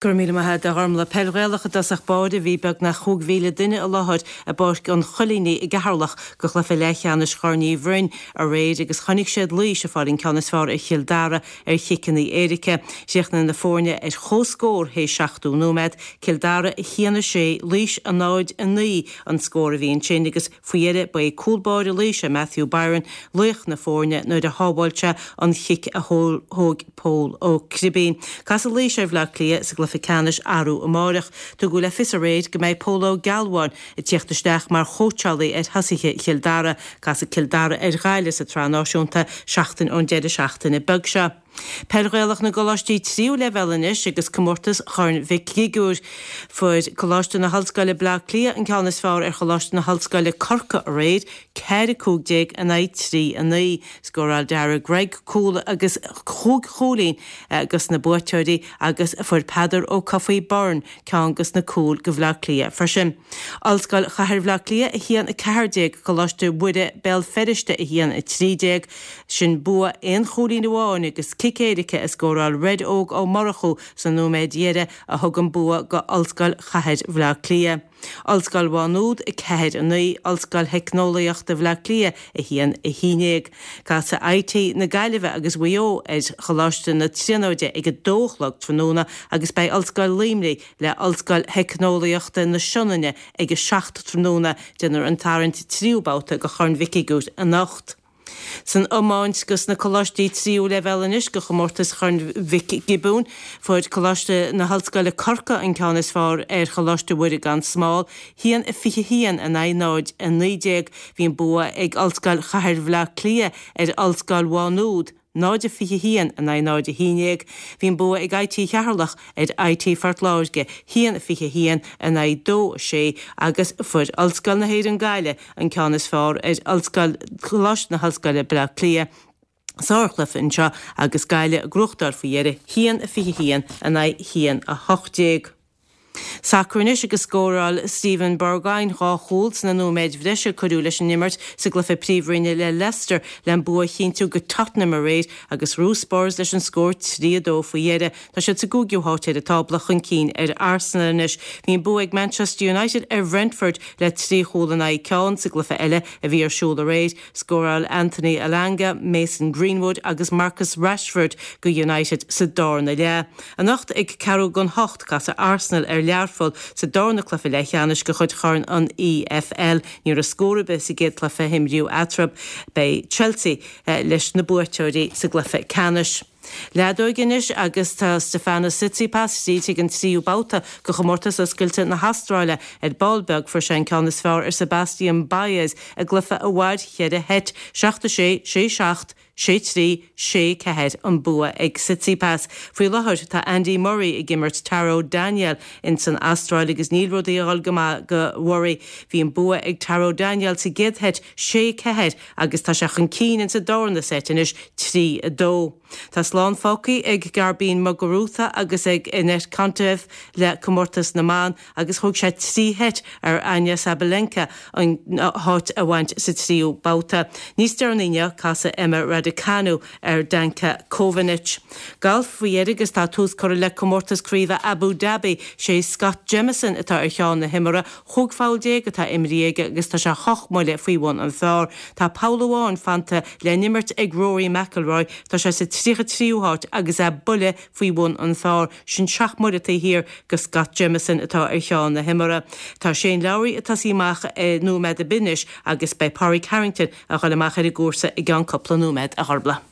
Go raibh míle maith agat, a Ghormlaith. Peil Ghaelach i dtosach báire, bhí beagnach 5,000 duine i láthair i bPáirc an Choilínigh i gCeatharlach go chluiche leathcheannais Chorn Uí Bhroin aréir agus chonaic siad Laois ag fáil an ceann is fearr ar Chill Dara ar chiceanna éirice. Chríochnaigh na foirne ar comhscór théis 70 nóiméad, Cill Dara 1, 6, Laois 0, 9 an scór a bhí ansin agus Faoi dheireadh, ba é cúl báire Laoise, Matthew Byron, laoch na foirne nuair a shábháil sé an chic a thóg Pól Ó Cribín. Casfaidh Laois ar Bhleá Cliath sa gcluiche ceannais arú amáireach. Tugadh le fios aréir go mbeidh Pól Ó Gealbháin ag tíocht isteach mar chóitseálaí ar thosaithe Chill Dara. Casfaidh Cill Dara ar Ghaillimh sa tSraith Náisiúnta seachtain ón deireadh seachtaine beag seo. Peil Ghaelach na gColáistí Tríú Leibhéal anois agus comórtas Chorn Mhic Shigiúir. Fuair Coláiste na hOllscoile Bleá Cliath an ceann is fearr ar Choláiste na hOllscoile Corcaigh aréir, 4, 15 in aghaidh 3, 9. Scóráil Darragh Gregg cúl agus chúig chúilín dos na buaiteoirí agus fuair Peadar Ó Cofaigh Byrne ceann dos na cúil go Bhleá Cliath freisin. Ollscoil Chathair Bhleá Cliath 1, 14, Coláiste Mhuire Béal Feirste 1, 13. Sin bua aon chúilín amháin agus cic éirice a scóráil Red Óg Ó Murchú sna nóiméid dheiridh a thug an bua go Ollscoil Chathair Bhleá Cliath. Ollscoil Mhá Nuad 4, 9, Ollscoil Theicneolaíochta Bhleá Cliath 1, 11. Casfaidh IT na Gaillimhe agus Mhaigh Eo ar Choláiste na Tríonóide ag a dó a chlog tráthnóna agus beidh Ollscoil Luimnigh le Ollscoil Theicneolaíochta na Sionainne ag a 7 tráthnóna. Déanfar an tarraingt tríú babhta go Chorn Mhic Shigiúir anocht. San iomáint dos na coláistí tríú leibhéal anois go chomórtas Chorn Mhic Giobúin, fuair Coláiste na hOllscoile Corcaigh an ceann is fearr ar Choláiste Mhuire gan Smál, 1-21 in aghaidh 0-19. Bhí an bua ag Ollscoil Chathair Bhleá Cliath ar Ollscoil Mhá Nuad, 0-21 in aghaidh 0-11. Bhí an bua ag IT Cheatharlach ar IT Phort Láirge, 1-21 in aghaidh 2-6, agus fuair Ollscoil na hÉireann Gaillimh an ceann is fearr ar Ollscoil Choláiste na hOllscoile Bleá Cliath. Sárchluiche anseo agus Gaillimh ag gnóthachtáil faoi dheireadh, 1-21 in aghaidh 1-18. Sacar anois agus scóráil Steven Bergwijn dhá chúl sna nóiméid bhreise a cuireadh leis an imirt sa gcluiche Príomhroinne le Leicester le an bua a chinntiú go Tottenham aréir agus bhuaigh Spurs leis an scór 3-2 faoi dheireadh. Tá siad sa gcúigiú háit ar an tábla, chun cinn ar Arsenal anois. Bhí an bua ag Manchester United ar Bhrentford le trí chúl in aghaidh ceann sa gcluiche eile a bhí ar siúl aréir. Scóráil Anthony Elanga, Mason Greenwood agus Marcus Rashford go United sa darna leath. Anocht ag ceathrú don hocht, casfaidh Arsenal ar Learpholl sa darna cluiche leathcheannais de chuid Chorn an EFL. Ní raibh scór ar bith sa gcéad cluiche a himríodh eatarthu. Beidh Chelsea leis na buaiteoirí sa gcluiche ceannais. Leadóg anois agus tá Stefanos Tsitsipas tríd chuig an tríú babhta de Chomórtas Oscailte na hAstráile. Ar ball beag fuair sé an ceann is fearr ar Sebastian Baez i gcluiche a mhair cheithre sheit, 7 6, 6 7, 6 3, 6 4 an bua ag Tsitsipas. Faoi láthair tá Andy Murray ag imirt Taro Daniel ins an Astráil agus níl rudaí a dhul go maith go Murray. Bhí an bua ag Taro Daniel sa gcéad sheit 6 4 agus tá sé chun cinn ins an darna seit anois, 3, 2. Tá slán fágtha ag Garbiñe Muguruza agus ag Anett Kontaveit le comórtas na mban agus thóg sé trí sheit ar Aryna Sabalenka an háit a bhaint sa tríú babhta. Níos deireanaí inniu, casfaidh Emma Raducanu ar Danka Kovinic. Galf faoi dheireadh agus tá tús curtha le comórtas craoibhe Abu Dhabi. Sé Scott Jamieson atá ar cheann na himeartha. 15 pholl atá imrithe aige agus tá sé hocht mbuille faoi bhun an phar. Tá poll amháin fanta le n-imirt ag Rory McIlroy, tá sé sa 33ú háit agus é buille faoi bhun an phar, sin seacht mbuille taobh thiar de Scott Jamieson atá ar cheann na himeartha. Tá Shane Lowry ag tosaí amach nóiméad ar bith anois agus beidh Pádraig Harrington a dhul amach ar an gcúrsa i gceann cúpla nóiméad, a Ghormlaith.